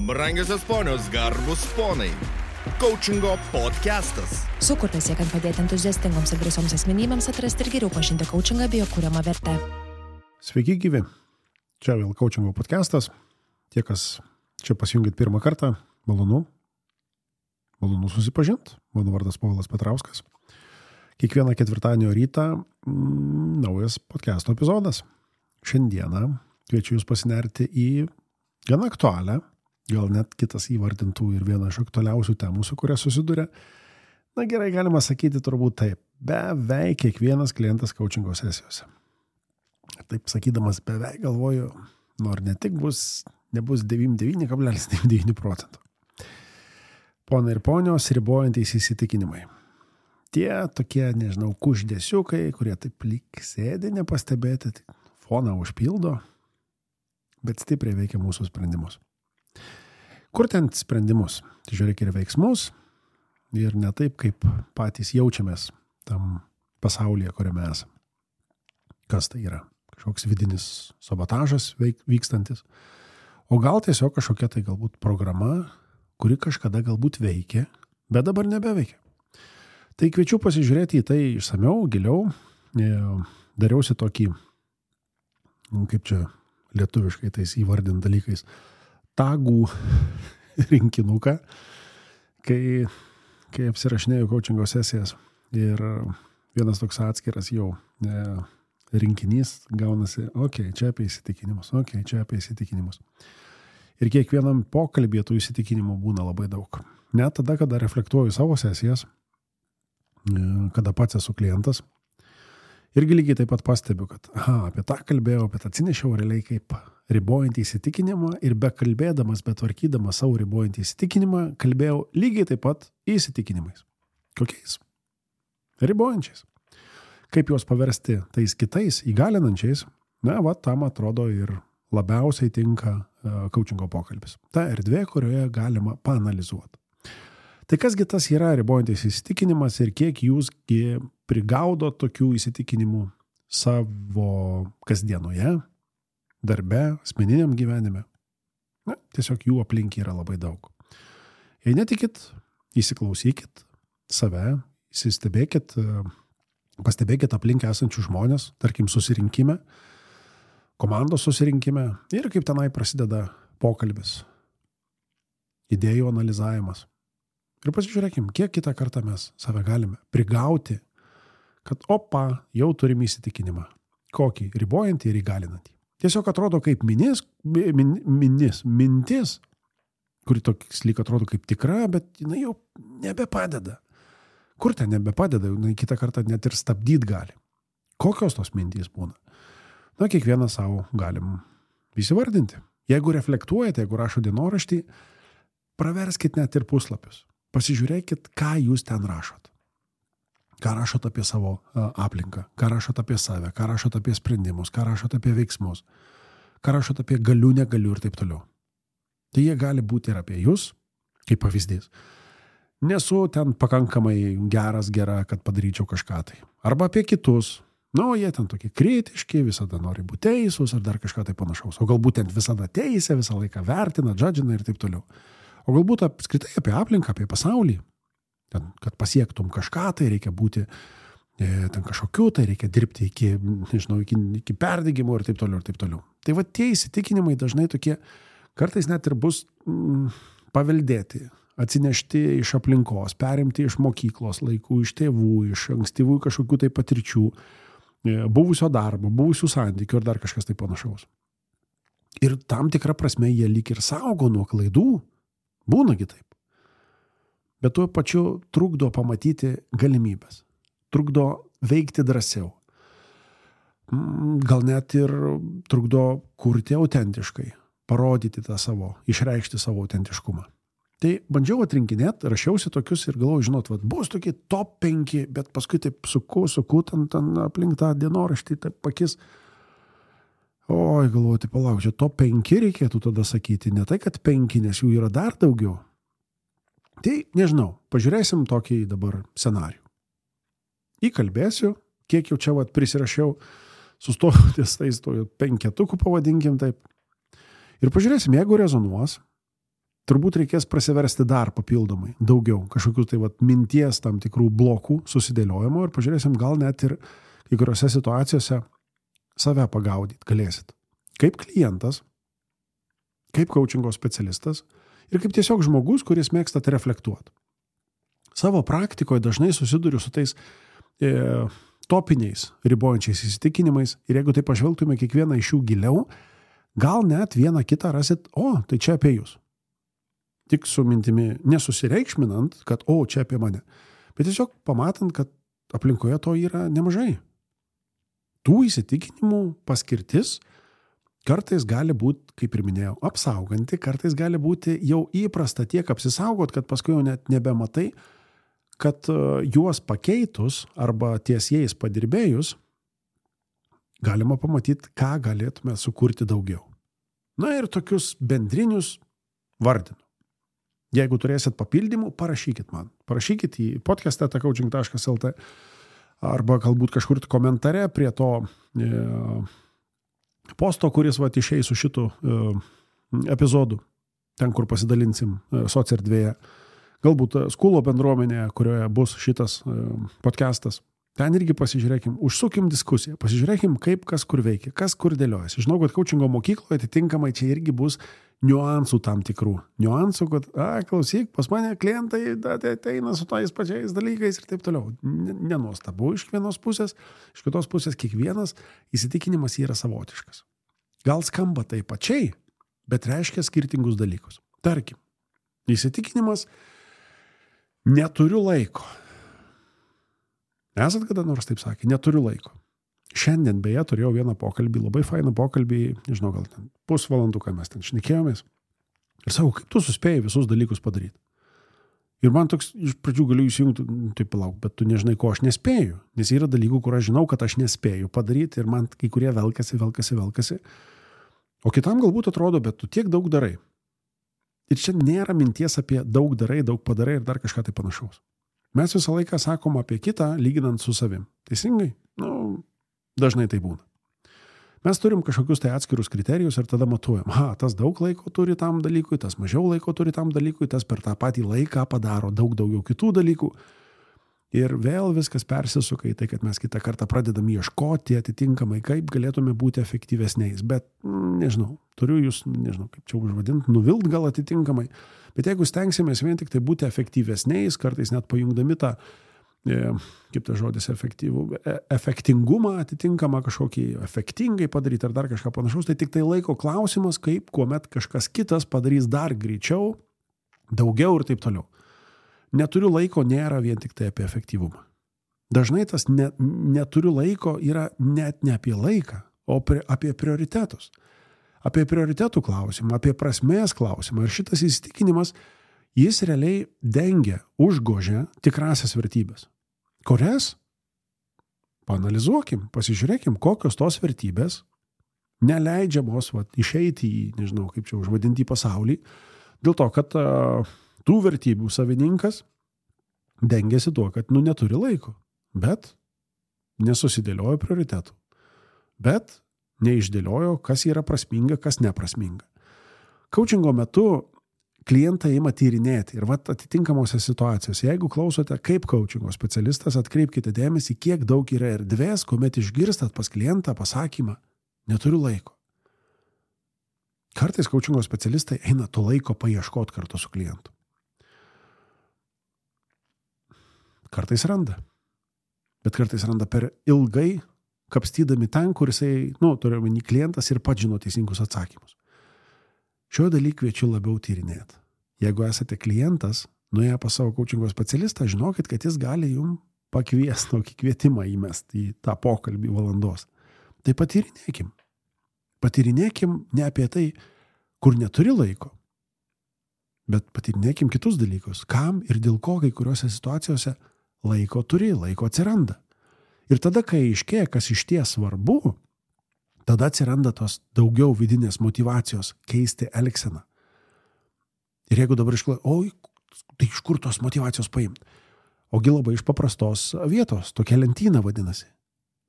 Brangiosios ponios, garbus ponai. Coachingo podcastas. Sukurtas siekiant padėti entuziastingoms ir drąsioms asmenybėms atrasti ir geriau pažinti coachingą bei jo kuriamą vertę. Sveiki gyvi. Čia vėl Coachingo podcastas. Tie, kas čia pasijungit pirmą kartą, malonu susipažinti. Mano vardas Povilas Petrauskas. Kiekvieną ketvirtadienio rytą naujas podcasto epizodas. Šiandieną kviečiu jūs pasinerti į gana aktualią, gal net kitas įvardintų ir vieną iš aktualiausių temų, su kuria susiduria. Na gerai, galima sakyti turbūt taip. Beveik kiekvienas klientas coachingo sesijose. Taip sakydamas beveik galvoju, ne tik nebus 99,99%. Pona ir ponios, ribojantys įsitikinimai. Tie tokie, kuždėsiukai, kurie taip lyg sėdi nepastebėti, foną užpildo, bet stipriai veikia mūsų sprendimus. Kur ten sprendimus? Tai žiūrėk ir veiksmus ir ne taip, kaip patys jaučiamės tam pasaulyje, kuriame esame. Kas tai yra? Kažkoks vidinis sabotažas vykstantis. O gal tiesiog kažkokia tai galbūt programa, kuri kažkada galbūt veikė, bet dabar nebeveikia. Tai kviečiu pasižiūrėti į tai išsamiau, giliau. Dariausi tokį, kaip čia lietuviškai tais įvardint dalykais, tagų rinkinuką, kai apsirašinėjau coachingo sesijas ir vienas toks atskiras jau rinkinys gaunasi, čia apie įsitikinimus. Ir kiekvienam pokalbėje tų įsitikinimų būna labai daug. Net tada, kada reflektuoju savo sesijas, kada pats esu klientas, irgi lygiai taip pat pastebiu, kad apie tą kalbėjau, bet atsinešiau realiai kaip ribojantį įsitikinimą ir bekalbėdamas, betvarkydamas savo ribojantį įsitikinimą, kalbėjau lygiai taip pat įsitikinimais. Kokiais? Ribojančiais. Kaip juos paversti tais kitais įgalinančiais, tam atrodo ir labiausiai tinka coachingo pokalbis. Ta erdvė, kurioje galima paanalizuoti. Tai kasgi tas yra ribojantis įsitikinimas ir kiek jūs prigaudo tokių įsitikinimų savo kasdienoje, darbe, asmeniniam gyvenime? Tiesiog jų aplink yra labai daug. Jei netikit, įsiklausykit save, pastebėkit aplink esančių žmonės, tarkim susirinkime, komandos susirinkime ir kaip tenai prasideda pokalbis, idėjų analizavimas. Ir pasižiūrėkim, kiek kitą kartą mes save galime prigauti, kad jau turim įsitikinimą. Kokį? Ribojantį ir įgalinantį. Tiesiog atrodo kaip mintis, kuri toks lyg atrodo kaip tikra, bet jinai jau nebepadeda. Kur ten nebepadeda? Jinai kitą kartą net ir stabdyti gali. Kokios tos mintys būna? Kiekvieną savo galim įsivardinti. Jeigu reflektuojate, jeigu rašo dienoraštį, praverskit net ir puslapius. Pasižiūrėkit, ką jūs ten rašot. Ką rašot apie savo aplinką, ką rašot apie save, ką rašot apie sprendimus, ką rašot apie veiksmus, ką rašot apie galiu, negaliu ir taip toliau. Tai jie gali būti ir apie jūs, kaip pavyzdys. Nesu ten pakankamai gera, kad padaryčiau kažką tai. Arba apie kitus. Jie ten tokie kritiški, visada nori būti teisūs ar dar kažką tai panašaus. O galbūt ten visada teisė, visą laiką vertina, džadžina ir taip toliau. O galbūt apskritai apie aplinką, apie pasaulį. Ten, kad pasiektum kažką, tai reikia būti ten kažkokiu, tai reikia dirbti iki perdegimo ir taip toliau. Tai tie įsitikinimai dažnai tokie, kartais net ir bus paveldėti, atsinešti iš aplinkos, perimti iš mokyklos laikų, iš tėvų, iš ankstyvų kažkokių tai patirčių, buvusio darbo, buvusių santykių ir dar kažkas tai panašaus. Ir tam tikrą prasme jie lyg ir saugo nuo klaidų. Būnagi taip. Bet tuo pačiu trukdo pamatyti galimybės. Trukdo veikti drąsiau. Gal net ir trukdo kurti autentiškai. Parodyti išreikšti savo autentiškumą. Tai bandžiau atrinkinėti, rašiausi tokius ir galvoju, bus tokie top 5, bet paskui taip suku ten aplink tą dienoraštį, taip pakis. Galvoju, palauk, čia top 5 reikėtų tada sakyti, ne tai, kad 5, nes jų yra dar daugiau. Tai, nežinau, pažiūrėsim tokį dabar scenarijų. Įkalbėsiu, kiek jau čia prisirašiau, sustoju ties tais 5 pavadinkim taip. Ir pažiūrėsim, jeigu rezonuos, turbūt reikės prasiversti dar papildomai, daugiau, kažkokių tai minties tam tikrų blokų susidėliojimo ir pažiūrėsim, gal net ir kai kuriuose situacijose save pagaudyti galėsit. Kaip klientas, kaip coachingo specialistas ir kaip tiesiog žmogus, kuris mėgstat reflektuoti. Savo praktikoje dažnai susiduriu su tais topiniais, ribojančiais įsitikinimais ir jeigu tai pažvelgtume kiekvieną iš jų giliau, gal net vieną kitą rasit, tai čia apie jūs. Tik su mintimi nesusireikšminant, kad čia apie mane, bet tiesiog pamatant, kad aplinkoje to yra nemažai. Tų įsitikinimų paskirtis kartais gali būti, kaip ir minėjau, apsauganti, kartais gali būti jau įprasta tiek apsisaugot, kad paskui jau net nebematai, kad juos pakeitus arba ties jais padirbėjus, galima pamatyti, ką galėtume sukurti daugiau. Na ir tokius bendrinius vardinu. Jeigu turėsit papildymų, parašykit man. Parašykit į podcast@coaching.lt arba galbūt kažkur komentare prie to posto, kuris išeis su šitu epizodu, ten, kur pasidalinsim socierdvėje. Galbūt Skulo bendruomenėje, kurioje bus šitas podcastas. Ten irgi pasižiūrėkim, užsukim diskusiją, pasižiūrėkim, kaip kas kur veikia, kas kur dėliojasi. Žinau, kad coachingo mokykloje atitinkamai čia irgi bus niuansų tam tikrų. Niuansų, kad, klausyk, pas mane klientai ateina su tais pačiais dalykais ir taip toliau. Nenuostabu iš vienos pusės, iš kitos pusės kiekvienas įsitikinimas yra savotiškas. Gal skamba tai pačiai, bet reiškia skirtingus dalykus. Tarkim, įsitikinimas neturiu laiko. Esat kada nors taip sakė, neturiu laiko. Šiandien beje turėjau vieną pokalbį, labai fainą pokalbį, nežinau, gal ten pusvalanduką mes ten šnekėjomės. Ir sakau, kaip tu suspėjai visus dalykus padaryti? Ir man toks, iš pradžių galiu įsijungti, taip palauk, bet tu nežinai, ko aš nespėju. Nes yra dalykų, kur aš žinau, kad aš nespėju padaryti ir man kai kurie velkasi. O kitam galbūt atrodo, bet tu tiek daug darai. Ir čia nėra minties apie daug darai, daug padarai ir dar kažką tai panašaus. Mes visą laiką sakom apie kitą, lyginant su savim. Teisingai? Dažnai tai būna. Mes turim kažkokius tai atskirus kriterijus ir tada matuojam. Tas daug laiko turi tam dalykui, tas mažiau laiko turi tam dalykui, tas per tą patį laiką padaro daug daugiau kitų dalykų. Ir vėl viskas persisuka į tai, kad mes kitą kartą pradedam ieškoti atitinkamai, kaip galėtume būti efektyvesniais. Bet, nežinau, turiu jūs, nežinau, kaip čia užvadinti, nuvilt gal atitinkamai. Bet jeigu stengsimės vien tik tai būti efektyvesniais, kartais net pajungdami tą, kaip tas žodis, efektingumą atitinkamą kažkokį efektingai padaryti ar dar kažką panašaus, tai tik tai laiko klausimas, kaip kuomet kažkas kitas padarys dar greičiau, daugiau ir taip toliau. Neturiu laiko nėra vien tik tai apie efektyvumą. Dažnai tas neturiu laiko yra net ne apie laiką, o apie prioritetus. Apie prioritetų klausimą, apie prasmės klausimą. Ir šitas įsitikinimas, jis realiai dengia, užgožia tikrasias vertybės. Kurias? Paanalizuokim, pasižiūrėkim, kokios tos vertybės neleidžiamos išeiti į, nežinau, kaip čia užvadinti į pasaulį, dėl to, kad tų vertybių savininkas dengiasi tuo, kad neturi laiko, bet nesusidėliojo prioritetų, bet neišdėliojo, kas yra prasminga, kas neprasminga. Coachingo metu klientą ima tyrinėti ir atitinkamose situacijose, jeigu klausote kaip coachingo specialistas, atkreipkite dėmesį, kiek daug yra erdvės, kuomet išgirstat pas klientą pasakymą, neturiu laiko. Kartais coachingo specialistai eina to laiko paieškoti kartu su klientu. Kartais randa. Bet kartais randa per ilgai, kapstydami ten, kur jisai, turiu omeny klientas ir pats žino teisingus atsakymus. Šio dalyką kviečiu labiau tyrinėti. Jeigu esate klientas, nuėję pas savo coachingo specialistą, žinokit, kad jis gali jums pakviesti tokį kvietimą įmesti į tą pokalbį valandos. Tai patyrinėkim. Patyrinėkim ne apie tai, kur neturi laiko, bet patyrinėkim kitus dalykus. Kam ir dėl ko kai kuriuose situacijose laiko turi, laiko atsiranda. Ir tada, kai aiškėja, kas iš ties svarbu, tada atsiranda tos daugiau vidinės motyvacijos keisti elgseną. Ir jeigu dabar tai iš kur tos motyvacijos paimti? Ogi labai iš paprastos vietos, tokia lentyna vadinasi.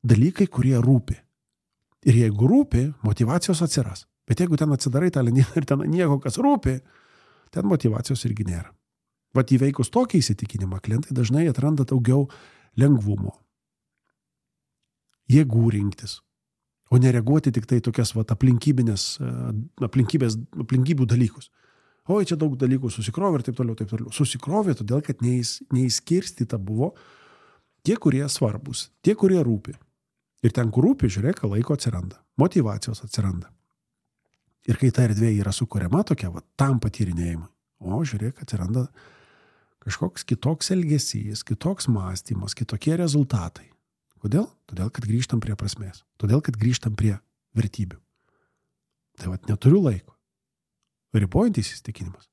Dalykai, kurie rūpi. Ir jeigu rūpi, motyvacijos atsiras. Bet jeigu ten atsidarai tą lentyną ir ten nieko, kas rūpi, ten motyvacijos irgi nėra. Vat įveikus tokį įsitikinimą, klientai dažnai atranda daugiau lengvumo, jėgų rinktis, o nereaguoti tik tai tokias vat aplinkybių dalykus. Oi, čia daug dalykų susikrovė ir taip toliau, taip toliau. Susikrovė todėl, kad neįskirstyta buvo tie, kurie svarbus, tie, kurie rūpi. Ir ten, kur rūpi, žiūrėk, laiko atsiranda, motyvacijos atsiranda. Ir kai ta erdvė yra sukuriama tokia, va, tam patyrinėjimui, o žiūrėk, atsiranda kažkoks kitoks elgesys, kitoks mąstymas, kitokie rezultatai. Kodėl? Todėl, kad grįžtam prie prasmės. Todėl, kad grįžtam prie vertybių. Tai vat neturiu laiko. Ribojantis įsitikinimas.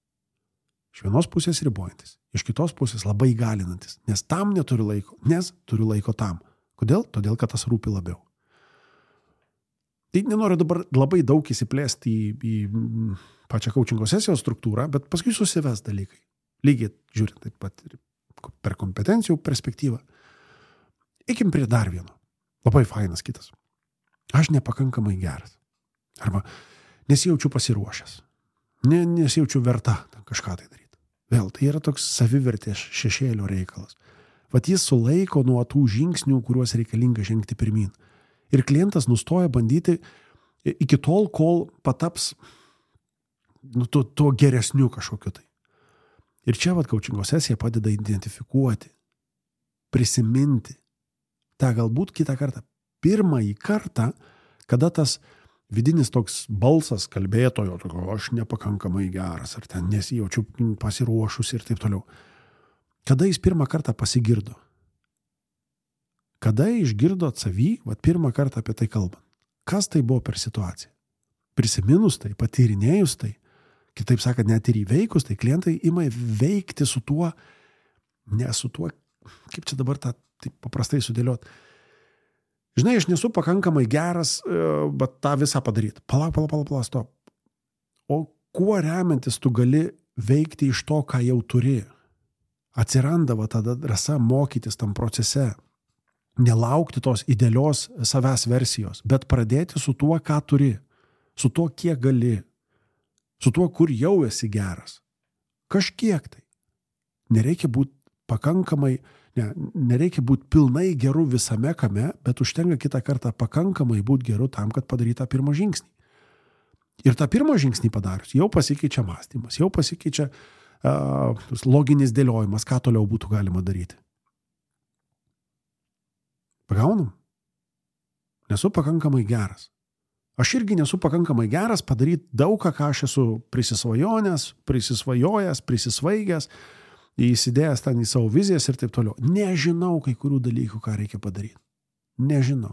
Iš vienos pusės ribojantis, iš kitos pusės labai galinantis. Nes tam neturiu laiko, nes turiu laiko tam. Kodėl? Todėl, kad tas rūpi labiau. Tai nenoriu dabar labai daug įsiplėsti į pačią coachingo sesijos struktūrą, bet paskui susives dalykai. Lygiai žiūrint taip pat ir per kompetencijų perspektyvą. Eikim prie dar vieno. Labai fainas kitas. Aš nepakankamai geras. Arba nesijaučiu pasiruošęs. Nesijaučiu verta kažką tai daryti. Vėl, tai yra toks savivertės šešėlio reikalas. Vat jis sulaiko nuo tų žingsnių, kuriuos reikalinga žengti pirmin. Ir klientas nustoja bandyti iki tol, kol pataps tuo geresniu kažkokiu tai. Ir čia vat coachingo sesija padeda identifikuoti, prisiminti tą galbūt kitą kartą, pirmąjį kartą, kada tas vidinis toks balsas kalbėtojo, aš nepakankamai geras, ar ten nesijaučiu pasiruošus ir taip toliau. Kada jis pirmą kartą pasigirdo? Kada išgirdot savį, vat pirmą kartą apie tai kalbant? Kas tai buvo per situaciją? Prisiminus tai, patyrinėjus tai, kitaip sakant, net ir įveikus, tai klientai ima veikti su tuo, ne su tuo, kaip čia dabar tą taip paprastai sudėliot. Žinai, aš nesu pakankamai geras, bet tą visą padaryti. Palauk, stop. O kuo remiantis tu gali veikti iš to, ką jau turi? Atsiranda va tada drąsa mokytis tam procese. Nelaukti tos idealios savęs versijos, bet pradėti su tuo, ką turi. Su tuo, kiek gali. Su tuo, kur jau esi geras. Kažkiek tai. Nereikia būti pakankamai, nereikia būti pilnai geru visame kame, bet užtenka kitą kartą pakankamai būti geru tam, kad padarytų tą pirmą žingsnį. Ir tą pirmą žingsnį padarius, jau pasikeičia mąstymas, jau pasikeičia loginis dėliojimas, ką toliau būtų galima daryti. Pagaunam? Nesu pakankamai geras. Aš irgi nesu pakankamai geras padaryti daug, ką aš esu prisisvajojęs, prisisvaigęs, įsidėjęs ten į savo vizijas ir taip toliau. Nežinau kai kurių dalykų, ką reikia padaryti. Nežinau.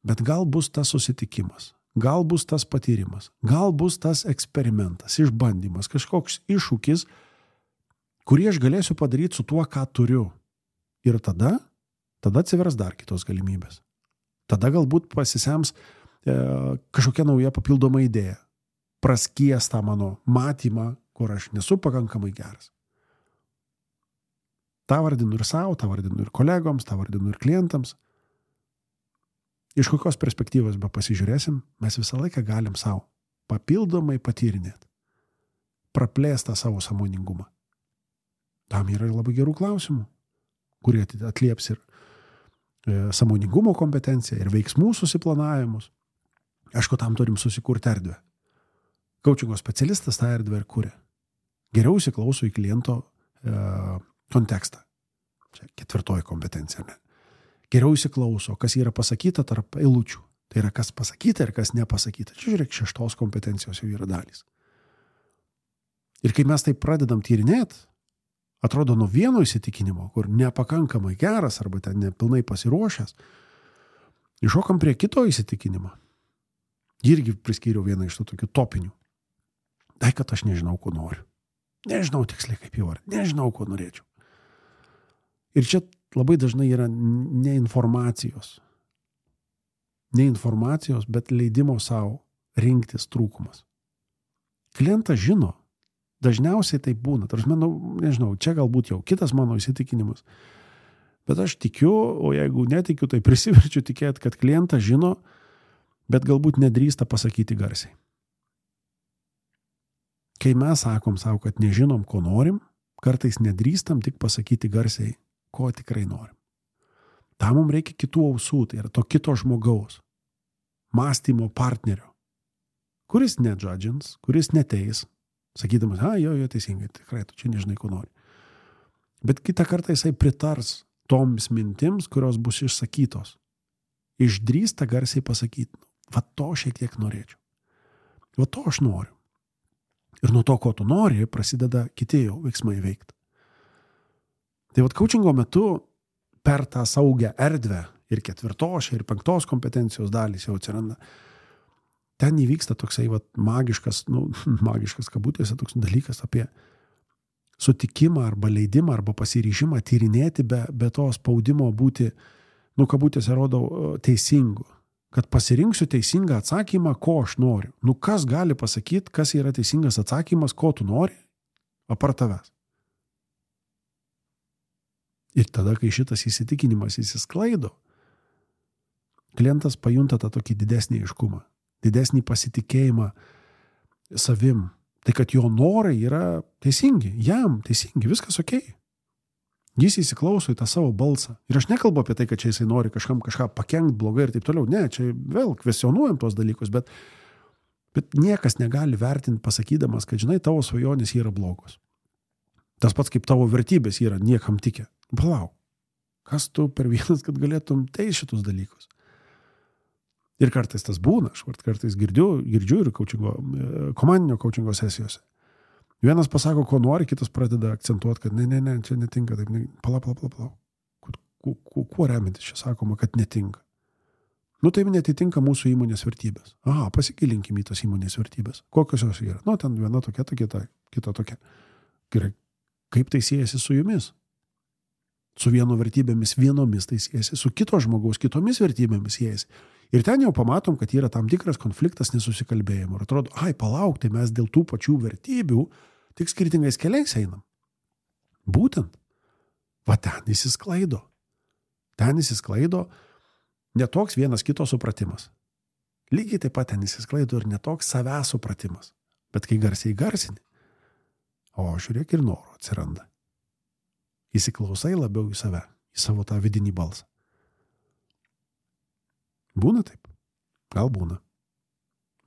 Bet gal bus tas susitikimas, gal bus tas patyrimas, gal bus tas eksperimentas, išbandymas, kažkoks iššūkis, kurį aš galėsiu padaryti su tuo, ką turiu. Ir tada atsivers dar kitos galimybės. Tada galbūt pasisems kažkokia nauja papildoma idėja. Praskies tą mano matymą, kur aš nesu pakankamai geras. Ta vardinu ir savo, ta vardinu ir kolegoms, ta vardinu ir klientams. Iš kokios perspektyvos be pasižiūrėsim, mes visą laiką galim savo papildomai patyrinėti. Praplėstą savo sąmoningumą. Tam yra labai gerų klausimų, kurie atlieps ir sąmoningumo kompetenciją, ir veiksmų susiplanavimus. Aišku, tam turim susikurti erdvę. Coachingo specialistas tą erdvę ir kuria. Geriau įsiklauso į kliento kontekstą. Čia 4 kompetencija. Ne? Geriau įsiklauso, kas yra pasakyta tarp eilučių. Tai yra kas pasakyta ir kas nepasakyta. Čia žiūrėk, 6 kompetencijos jau yra dalys. Ir kai mes tai pradedam tyrinėti, atrodo nuo vieno įsitikinimo, kur nepakankamai geras arba ten nepilnai pasiruošęs, iššokam prie kito įsitikinimo. Irgi priskyriau vieną iš tų tokių topinių. Tai, kad aš nežinau, ko noriu. Nežinau tiksliai, kaip jau ar. Nežinau, ko norėčiau. Ir čia labai dažnai yra ne informacijos, bet leidimo savo rinktis trūkumas. Klientas žino, dažniausiai tai būna. Nežinau, čia galbūt jau kitas mano įsitikinimas. Bet aš tikiu, o jeigu netikiu, tai prisiverčiu tikėti, kad klientas žino, bet galbūt nedrįsta pasakyti garsiai. kai mes sakom savo, kad nežinom, ko norim, kartais nedrįstam tik pasakyti garsiai, ko tikrai norim. Tam mums reikia kitų ausų, tai yra to kito žmogaus, mąstymo partnerio, kuris nedžadžins, kuris neteis, sakydamas, jo, teisingai, tikrai, tu čia nežinai, ko nori. Bet kitą kartą jisai pritars toms mintims, kurios bus išsakytos. Išdrįsta garsiai pasakyti, va to šiek tiek norėčiau. Va to aš noriu. Ir nuo to, ko tu nori, prasideda kiti jau veiksmai veikti. Tai va coachingo metu per tą saugią erdvę ir 4. ir 5 kompetencijos dalys jau atsiranda. Ten įvyksta toksai va magiškas kabutėse toks dalykas apie sutikimą arba leidimą arba pasiryžimą tyrinėti be to spaudimo būti, kabutėse rodau, teisingu. Kad pasirinksiu teisingą atsakymą, ko aš noriu. Kas gali pasakyti, kas yra teisingas atsakymas, ko tu nori, apart tavęs. Ir tada, kai šitas įsitikinimas įsisklaido, klientas pajunta tą tokį didesnį aiškumą, didesnį pasitikėjimą savim. Tai, kad jo norai yra teisingi, jam teisingi, viskas okei. Jis įsiklauso į tą savo balsą. Ir aš nekalbu apie tai, kad čia jisai nori kažkam kažką pakenkt blogai ir taip toliau. Ne, čia vėl kvestionuojam tos dalykus, bet niekas negali vertinti pasakydamas, kad žinai, tavo svajonės yra blogos. Tas pats kaip tavo vertybės yra niekam tikę. Palauk, kas tu per vienas, kad galėtum teis šitus dalykus? Ir kartais tas būna, aš kartais girdžiu ir komandinio coachingo sesijose. Vienas pasako, ko nori, kitas pradeda akcentuoti, kad ne, čia netinka, taip, pala. Kuo remintis čia sakoma, kad netinka? Taip netitinka mūsų įmonės vertybės. Pasigilinkim į tas įmonės vertybės. Kokios jos yra? Ten viena tokia, kita tokia. Gerai, kaip tai siejasi su jumis? Su vieno vertybėmis vienomis tai siejasi, su kito žmogaus kitomis vertybėmis siejasi. Ir ten jau pamatom, kad yra tam tikras konfliktas nesusikalbėjimo. Ir atrodo, palauk, tai mes dėl tų pačių vertybių tik skirtingais keliais einam. Būtent. Va ten įsisklaido. Ten įsisklaido netoks vienas kito supratimas. Lygiai taip pat ten įsisklaido ir netoks savęs supratimas. Bet kai garsiai garsini, žiūrėk ir noro atsiranda. Įsiklausai labiau į save, į savo tą vidinį balsą. Būna taip? Gal būna.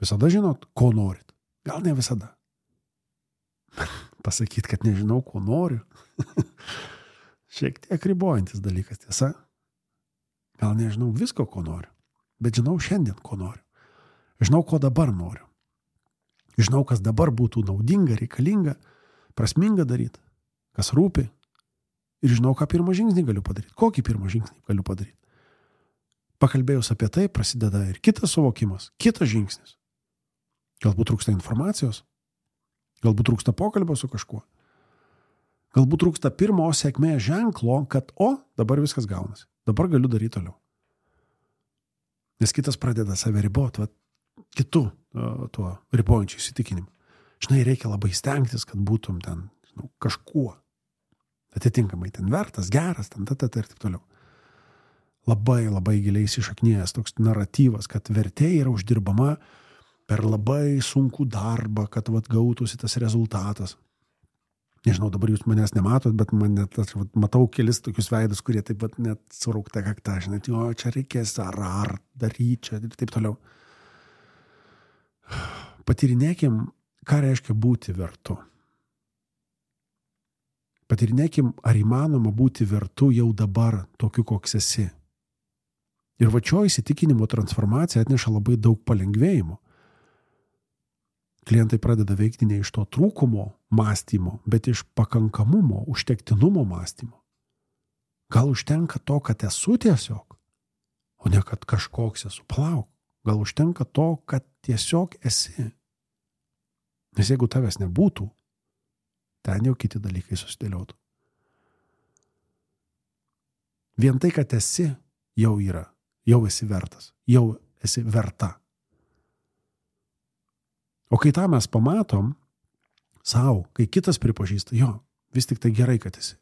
Visada žinot, ko norit? Gal ne visada. Pasakyti, kad nežinau, ko noriu. Šiek tiek ribojantis dalykas, tiesa. Gal nežinau visko, ko noriu. Bet žinau šiandien, ko noriu. Žinau, ko dabar noriu. Žinau, kas dabar būtų naudinga, reikalinga, prasminga daryti, kas rūpi. Ir žinau, ką pirmą žingsnį galiu padaryti. Kokį pirmą žingsnį galiu padaryti. Pakalbėjus apie tai, prasideda ir kitas suvokimas, kitas žingsnis. Galbūt trūksta informacijos, galbūt trūksta pokalbio su kažkuo, galbūt trūksta pirmo sėkmės ženklo, kad dabar viskas gaunasi, dabar galiu daryti toliau. Nes kitas pradeda save riboti, kitų tuo ribojančiu įsitikinimu. Žinai, reikia labai stengtis, kad būtum ten kažkuo. Atitinkamai ten vertas, geras, ten ir taip toliau. Labai, labai giliai įsišaknėjęs toks naratyvas, kad vertė yra uždirbama per labai sunkų darbą, kad gautųsi tas rezultatas. Nežinau, dabar jūs manęs nematot, bet matau kelis tokius veidus, kurie taip pat net suraukta kakta, žinai, čia reikės ar daryti čia ir taip toliau. Patyrinėkim, ką reiškia būti vertu. Patyrinėkim, ar įmanoma būti vertu jau dabar tokiu, koks esi. Ir vačio įsitikinimo transformacija atneša labai daug palengvėjimo. Klientai pradeda veikti ne iš to trūkumo mąstymo, bet iš pakankamumo, užtektinumo mąstymo. Gal užtenka to, kad esu tiesiog, o ne kad kažkoks esu. Palauk, gal užtenka to, kad tiesiog esi. Nes jeigu tavęs nebūtų, ten jau kiti dalykai susidėliotų. Vien tai, kad esi, jau yra. Jau esi vertas, jau esi verta. O kai tą mes pamatom savo, kai kitas pripažįsta, vis tik tai gerai, kad esi.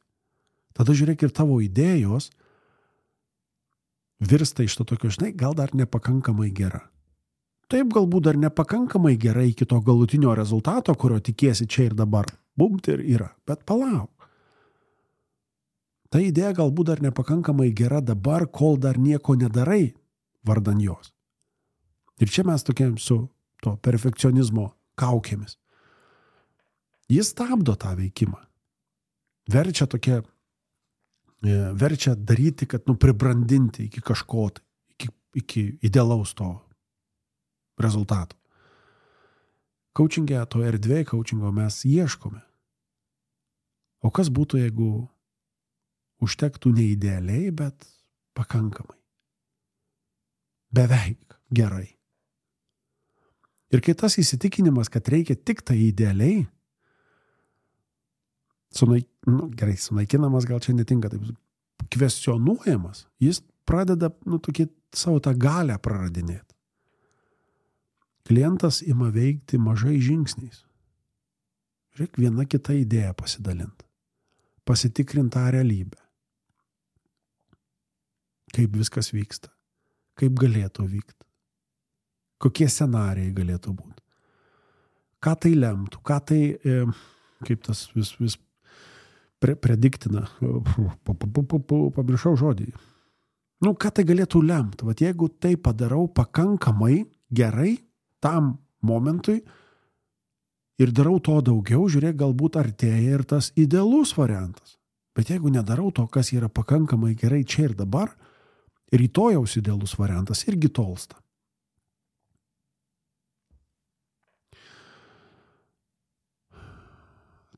Tada žiūrėk ir tavo idėjos virsta iš to tokio, žinai, gal dar nepakankamai gera. taip galbūt dar nepakankamai gerai iki to galutinio rezultato, kurio tikiesi čia ir dabar. Bumt ir yra. Bet palauk. Ta idėja galbūt dar nepakankamai gera dabar, kol dar nieko nedarai vardan jos. Ir čia mes tokiam su to perfekcionizmo kaukėmis. Jis stabdo tą veikimą. Verčia daryti, kad pribrandinti iki kažko, iki idealaus to rezultato. Coaching'e, to erdvėje coachingo mes ieškome. O kas būtų, jeigu užtektų ne idealiai, bet pakankamai. Beveik gerai. Ir kai tas įsitikinimas, kad reikia tik tai idealiai, sunaikinamas, gal čia netinka, taip, kvestionuojamas, jis pradeda tokį savo tą galę praradinėti. Klientas ima veikti mažai žingsniais. Reikia viena kita idėja pasidalinti. Pasitikrinti tą realybę. Kaip viskas vyksta. Kaip galėtų vykti. Kokie scenarijai galėtų būti. Ką tai lemtų. Ką tai, kaip tas vis prediktina. Pamiršau žodį. Ką tai galėtų lemti. Vat jeigu tai padarau pakankamai gerai tam momentui ir darau to daugiau, žiūrėk, galbūt artėja ir tas idealus variantas. Bet jeigu nedarau to, kas yra pakankamai gerai čia ir dabar, rytojaus idealus variantas irgi tolsta.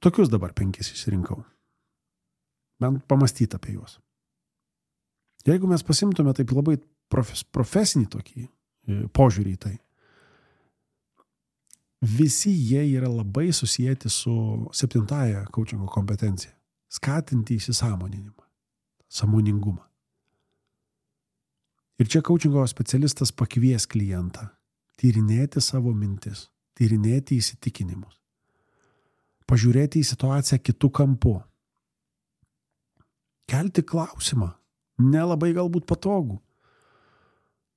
Tokius dabar 5 išsirinkau. Bent pamastyti apie juos. Jeigu mes pasimtume taip labai profesinį tokį požiūrį į tai, visi jie yra labai susijęti su 7 coachingo kompetencija. Skatinti įsisąmoninimą, sąmoningumą. Ir čia coachingo specialistas pakvies klientą tyrinėti savo mintis, tyrinėti įsitikinimus, pažiūrėti į situaciją kitų kampų, kelti klausimą, nelabai galbūt patogų.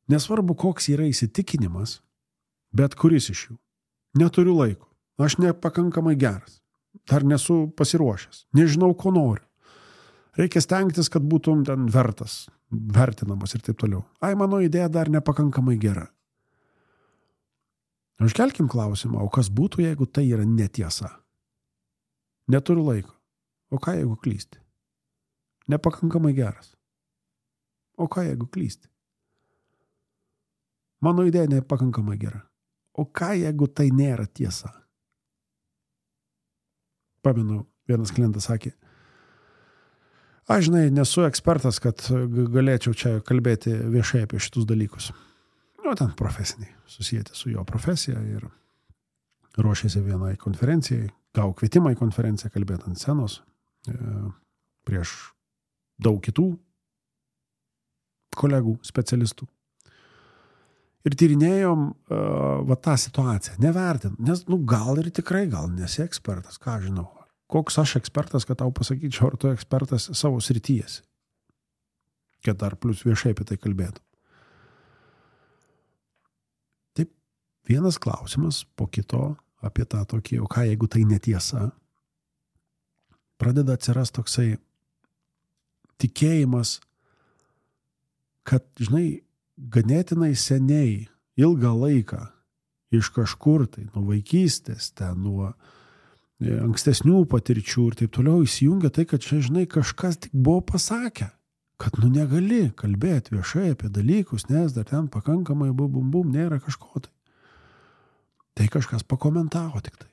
Nesvarbu, koks yra įsitikinimas, bet kuris iš jų. Neturiu laiko, aš nepakankamai geras, dar nesu pasiruošęs, nežinau, ko noriu. Reikia stengtis, kad būtum ten vertinamas ir taip toliau. Mano idėja dar nepakankamai gera. Užkelkim klausimą, o kas būtų, jeigu tai yra netiesa? Neturiu laiko. O ką, jeigu klysti? Nepakankamai geras. O ką, jeigu klysti? Mano idėja nepakankamai gera. O ką, jeigu tai nėra tiesa? Pamenu, vienas klientas sakė, aš, nesu ekspertas, kad galėčiau čia kalbėti viešai apie šitus dalykus. Ten profesiniai, susijęti su jo profesija ir ruošėsi vienai konferencijai, gavo kvietimą į konferenciją kalbėti ant scenos prieš daug kitų kolegų, specialistų. Ir tyrinėjom tą situaciją, nevertint, nes gal ir tikrai, gal nesi ekspertas, ką žinau. Koks aš ekspertas, kad tau pasakyčiau, ar tu ekspertas savo srityjesi. Kad dar plus viešai apie tai kalbėtum. Taip, vienas klausimas po kito apie tą tokį, o ką jeigu tai netiesa, pradeda atsirast toksai tikėjimas, kad, ganėtinai seniai, ilgą laiką, iš kažkur tai, nuo vaikystės, nuo ankstesnių patirčių ir taip toliau įsijungia tai, kad čia, kažkas tik buvo pasakę, kad negali kalbėti viešai apie dalykus, nes dar ten pakankamai bum, nėra kažko tai. Tai kažkas pakomentavo tik tai.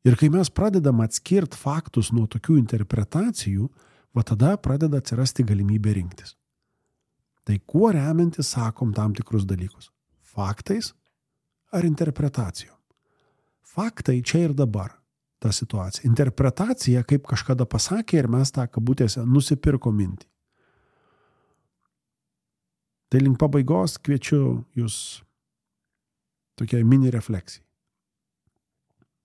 Ir kai mes pradedam atskirti faktus nuo tokių interpretacijų, tada pradeda atsirasti galimybė rinktis. Tai kuo remiantis sakom tam tikrus dalykus? Faktais ar interpretacijom? Faktai čia ir dabar ta situacija. Interpretacija, kaip kažkada pasakė ir mes tą kabutėse nusipirko mintį. Tai link pabaigos kviečiu jūs tokia mini refleksija.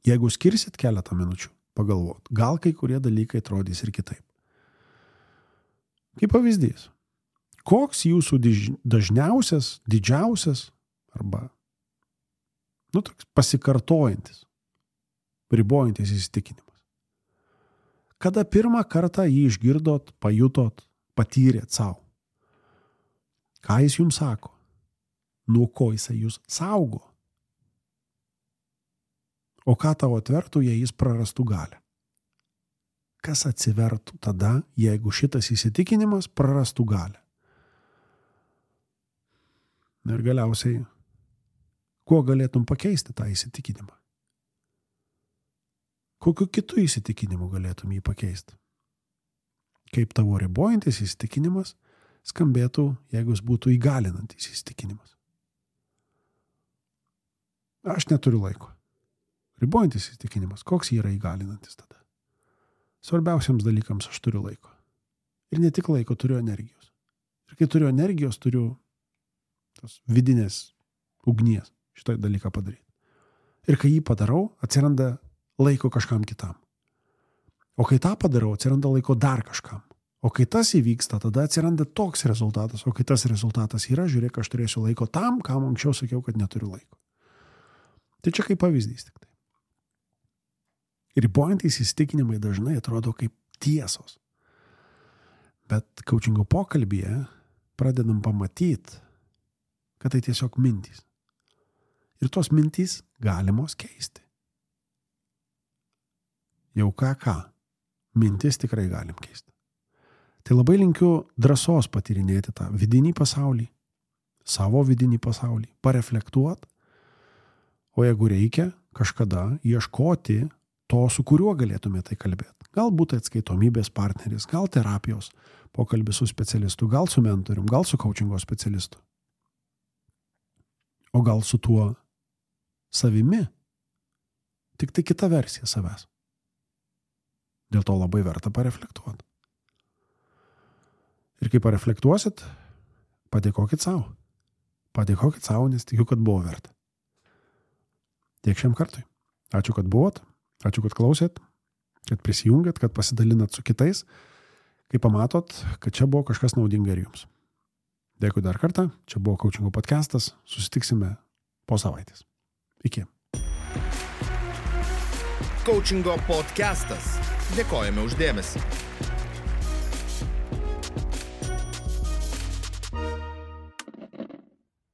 Jeigu skirsit keletą minučių pagalvot, gal kai kurie dalykai atrodys ir kitaip. Kaip pavyzdys. Koks jūsų dažniausias, didžiausias arba toks pasikartojantis, ribojantis įsitikinimas. Kada pirmą kartą jį išgirdot, pajutot, patyrėt savo? Ką jis jums sako? Nuo ko jisai jūs saugo? O ką tau atvertų, jei jis prarastų galią? Kas atsivertų tada, jeigu šitas įsitikinimas prarastų galią? Ir galiausiai, kuo galėtum pakeisti tą įsitikinimą? Kokiu kitu įsitikinimu galėtum jį pakeisti? Kaip tavo ribojantis įsitikinimas skambėtų, jeigu jis būtų įgalinantis įsitikinimas? Aš neturiu laiko. Ribojantis įsitikinimas, koks jį yra įgalinantis tada? Svarbiausiams dalykams aš turiu laiko. Ir ne tik laiko, turiu energijos. Ir kai turiu energijos, turiu tos vidinės ugnies šitą dalyką padaryti. Ir kai jį padarau, atsiranda laiko kažkam kitam. O kai tą padarau, atsiranda laiko dar kažkam. O kai tas įvyksta, tada atsiranda toks rezultatas. O kai tas rezultatas yra, žiūrėk, aš turėsiu laiko tam, kam anksčiau sakiau, kad neturiu laiko. Tai čia kaip pavyzdys tik tai. Ribojantys įsitikinimai dažnai atrodo kaip tiesos. Bet coachingo pokalbyje pradedam pamatyti, kad tai tiesiog mintys. Ir tos mintys galimos keisti. Jau ką. Mintis tikrai galim keisti. Tai labai linkiu drąsos patyrinėti tą vidinį pasaulį, savo vidinį pasaulį, pareflektuoti, o jeigu reikia, kažkada ieškoti to, su kuriuo galėtume tai kalbėti. Galbūt atskaitomybės partneris, gal terapijos pokalbis su specialistu, gal su mentorium, gal su coachingo specialistu. O gal su tuo savimi. Tik tai kita versija savęs. Dėl to labai verta pareflektuoti. Ir kai pareflektuosit, padėkokit savo. Padėkokit savo, nes tikiu, kad buvo verta. Tiek šiam kartui. Ačiū, kad buvot. Ačiū, kad klausėt, kad prisijungėt, kad pasidalinat su kitais, kai pamatot, kad čia buvo kažkas naudinga ir jums. Dėkui dar kartą, čia buvo Coachingo podcastas, susitiksime po savaitės. Iki. Coachingo podcastas. Dėkojame už dėmesį.